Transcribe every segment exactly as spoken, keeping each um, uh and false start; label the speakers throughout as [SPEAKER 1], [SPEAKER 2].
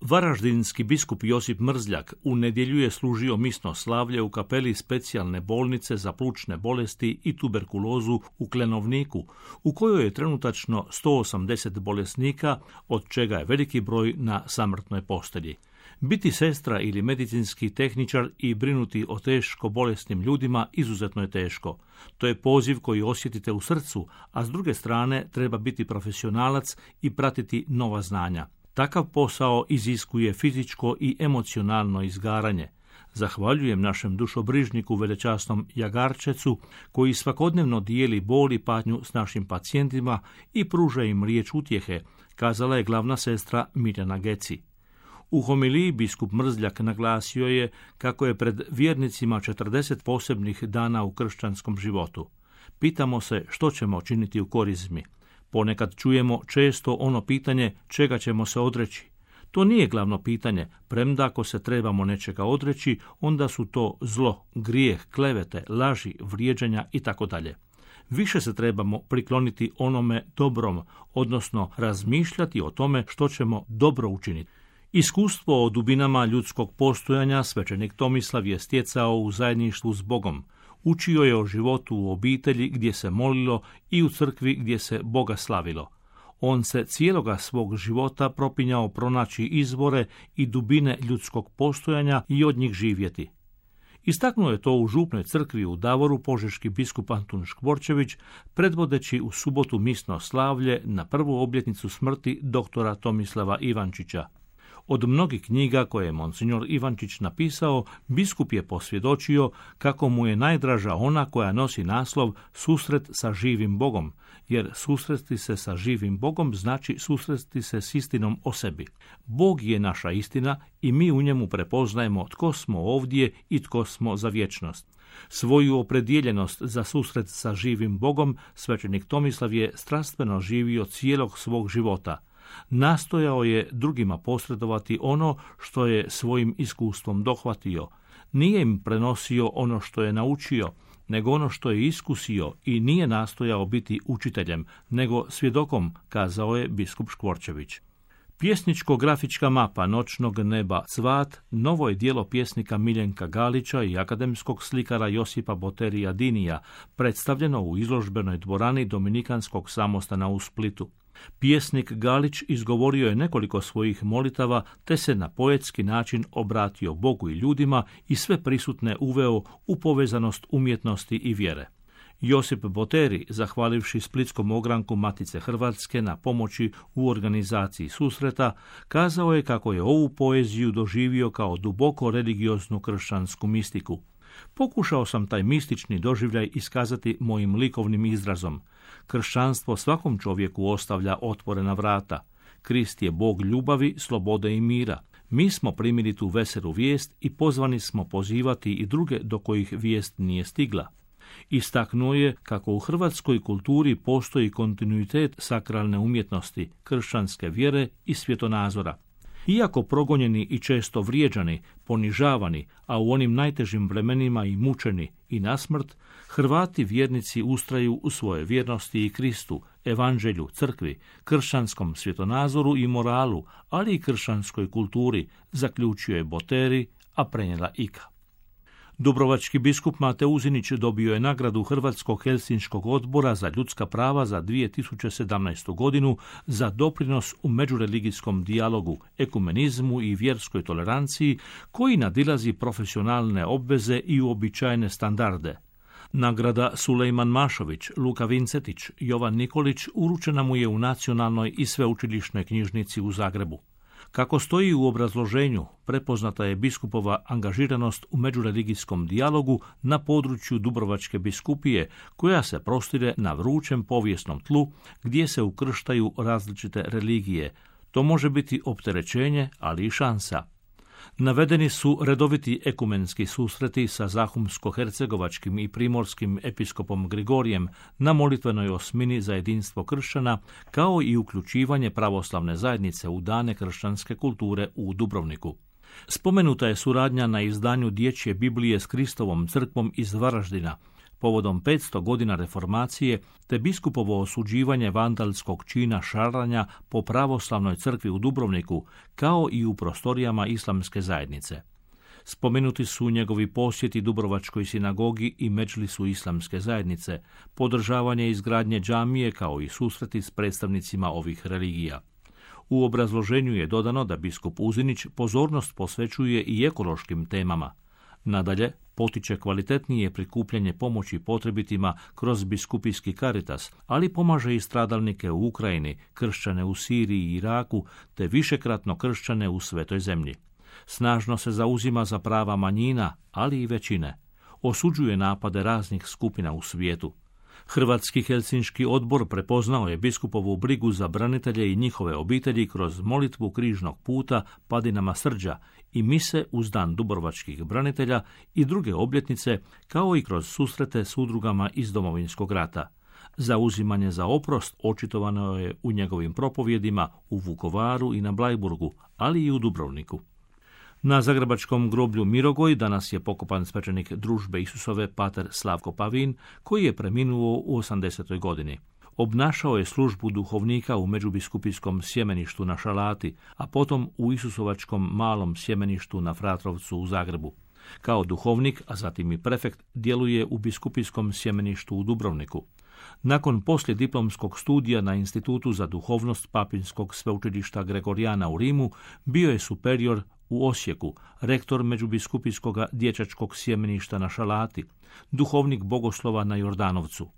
[SPEAKER 1] Varaždinski biskup Josip Mrzljak u nedjelju je služio misno slavlje u kapeli specijalne bolnice za plućne bolesti i tuberkulozu u Klenovniku, u kojoj je trenutačno sto osamdeset bolesnika, od čega je veliki broj na samrtnoj postelji. Biti sestra ili medicinski tehničar i brinuti o teško bolesnim ljudima izuzetno je teško. To je poziv koji osjetite u srcu, a s druge strane treba biti profesionalac i pratiti nova znanja. Takav posao iziskuje fizičko i emocionalno izgaranje. Zahvaljujem našem dušobrižniku velečasnom Jagarčecu, koji svakodnevno dijeli bol i patnju s našim pacijentima i pruža im riječ utjehe, kazala je glavna sestra Mirjana Geci. U homiliji biskup Mrzljak naglasio je kako je pred vjernicima četrdeset posebnih dana u kršćanskom životu. Pitamo se što ćemo činiti u korizmi. Ponekad čujemo često ono pitanje čega ćemo se odreći. To nije glavno pitanje, premda ako se trebamo nečega odreći, onda su to zlo, grijeh, klevete, laži, vrijeđanja itd. Više se trebamo prikloniti onome dobrom, odnosno razmišljati o tome što ćemo dobro učiniti. Iskustvo o dubinama ljudskog postojanja svećenik Tomislav je stjecao u zajedništvu s Bogom. Učio je o životu u obitelji gdje se molilo i u crkvi gdje se Boga slavilo. On se cijeloga svog života propinjao pronaći izvore i dubine ljudskog postojanja i od njih živjeti. Istaknuo je to u župnoj crkvi u Davoru požeški biskup Antun Škvorčević, predvodeći u subotu misno slavlje na prvu obljetnicu smrti doktora Tomislava Ivančića. Od mnogih knjiga koje je monsignor Ivančić napisao, biskup je posvjedočio kako mu je najdraža ona koja nosi naslov Susret sa živim Bogom, jer susresti se sa živim Bogom znači susresti se s istinom o sebi. Bog je naša istina i mi u njemu prepoznajemo tko smo ovdje i tko smo za vječnost. Svoju opredjeljenost za susret sa živim Bogom svećenik Tomislav je strastveno živio cijelog svog života. Nastojao je drugima posredovati ono što je svojim iskustvom dohvatio. Nije im prenosio ono što je naučio, nego ono što je iskusio i nije nastojao biti učiteljem, nego svjedokom, kazao je biskup Škvorčević. Pjesničko-grafička mapa noćnog neba Cvat novo je djelo pjesnika Miljenka Galića i akademskog slikara Josipa Boterija Dinija, predstavljeno u izložbenoj dvorani Dominikanskog samostana u Splitu. Pjesnik Galić izgovorio je nekoliko svojih molitava te se na poetski način obratio Bogu i ljudima i sve prisutne uveo u povezanost umjetnosti i vjere. Josip Boteri, zahvalivši splitskom ogranku Matice Hrvatske na pomoći u organizaciji susreta, kazao je kako je ovu poeziju doživio kao duboko religioznu kršćansku mistiku. Pokušao sam taj mistični doživljaj iskazati mojim likovnim izrazom. Kršćanstvo svakom čovjeku ostavlja otvorena vrata. Krist je Bog ljubavi, slobode i mira. Mi smo primili tu veselu vijest i pozvani smo pozivati i druge do kojih vijest nije stigla. Istaknuo je kako u hrvatskoj kulturi postoji kontinuitet sakralne umjetnosti, kršćanske vjere i svjetonazora. Iako progonjeni i često vrijeđani, ponižavani, a u onim najtežim vremenima i mučeni i na smrt, Hrvati vjernici ustraju u svoje vjernosti i Kristu, evanđelju, crkvi, kršćanskom svjetonazoru i moralu, ali i kršćanskoj kulturi, zaključio je Boteri, a prenijela Ika. Dubrovački biskup Mate Uzinić dobio je nagradu Hrvatskog helsinškog odbora za ljudska prava za dvije tisuće sedamnaestu godinu za doprinos u međureligijskom dijalogu, ekumenizmu i vjerskoj toleranciji koji nadilazi profesionalne obveze i uobičajene standarde. Nagrada Sulejman Mašović, Luka Vincetić, Jovan Nikolić uručena mu je u Nacionalnoj i sveučilišnoj knjižnici u Zagrebu. Kako stoji u obrazloženju, prepoznata je biskupova angažiranost u međureligijskom dijalogu na području Dubrovačke biskupije, koja se prostire na vrućem povijesnom tlu gdje se ukrštaju različite religije. To može biti opterećenje, ali i šansa. Navedeni su redoviti ekumenski susreti sa zahumsko-hercegovačkim i primorskim episkopom Grigorijem na molitvenoj osmini za jedinstvo kršćana, kao i uključivanje pravoslavne zajednice u dane kršćanske kulture u Dubrovniku. Spomenuta je suradnja na izdanju dječje Biblije s Kristovom crkvom iz Varaždina. povodom petsto godina reformacije te biskupovo osuđivanje vandalskog čina šaranja po pravoslavnoj crkvi u Dubrovniku, kao i u prostorijama islamske zajednice. Spomenuti su njegovi posjeti Dubrovačkoj sinagogi i medžlisu islamske zajednice, podržavanje izgradnje džamije kao i susreti s predstavnicima ovih religija. U obrazloženju je dodano da biskup Uzinić pozornost posvećuje i ekološkim temama. Nadalje, potiče kvalitetnije prikupljanje pomoći potrebitima kroz biskupijski karitas, ali pomaže i stradalnike u Ukrajini, kršćane u Siriji i Iraku, te višekratno kršćane u Svetoj zemlji. Snažno se zauzima za prava manjina, ali i većine. Osuđuje napade raznih skupina u svijetu. Hrvatski Helsinški odbor prepoznao je biskupovu brigu za branitelje i njihove obitelji kroz molitvu križnog puta Padinama srđa i mise uz dan dubrovačkih branitelja i druge obljetnice, kao i kroz susrete s udrugama iz Domovinskog rata. Zauzimanje za oprost očitovano je u njegovim propovjedima u Vukovaru i na Blajburgu, ali i u Dubrovniku. Na zagrebačkom groblju Mirogoj danas je pokopan svećenik Družbe Isusove pater Slavko Pavin, koji je preminuo u osamdesetoj godini. Obnašao je službu duhovnika u međubiskupijskom sjemeništu na Šalati, a potom u Isusovačkom malom sjemeništu na Fratrovcu u Zagrebu. Kao duhovnik, a zatim i prefekt, djeluje u biskupijskom sjemeništu u Dubrovniku. Nakon poslijediplomskog studija na Institutu za duhovnost Papinskog sveučilišta Gregorijana u Rimu, bio je superior u Osijeku, rektor međubiskupijskog dječačkog sjemeništa na Šalati, duhovnik bogoslova na Jordanovcu.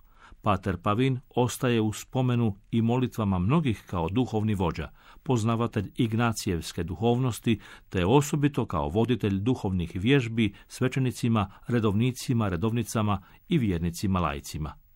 [SPEAKER 1] Pater Pavin ostaje u spomenu i molitvama mnogih kao duhovni vođa, poznavatelj ignacijevske duhovnosti, te osobito kao voditelj duhovnih vježbi svećenicima, redovnicima, redovnicama i vjernicima laicima.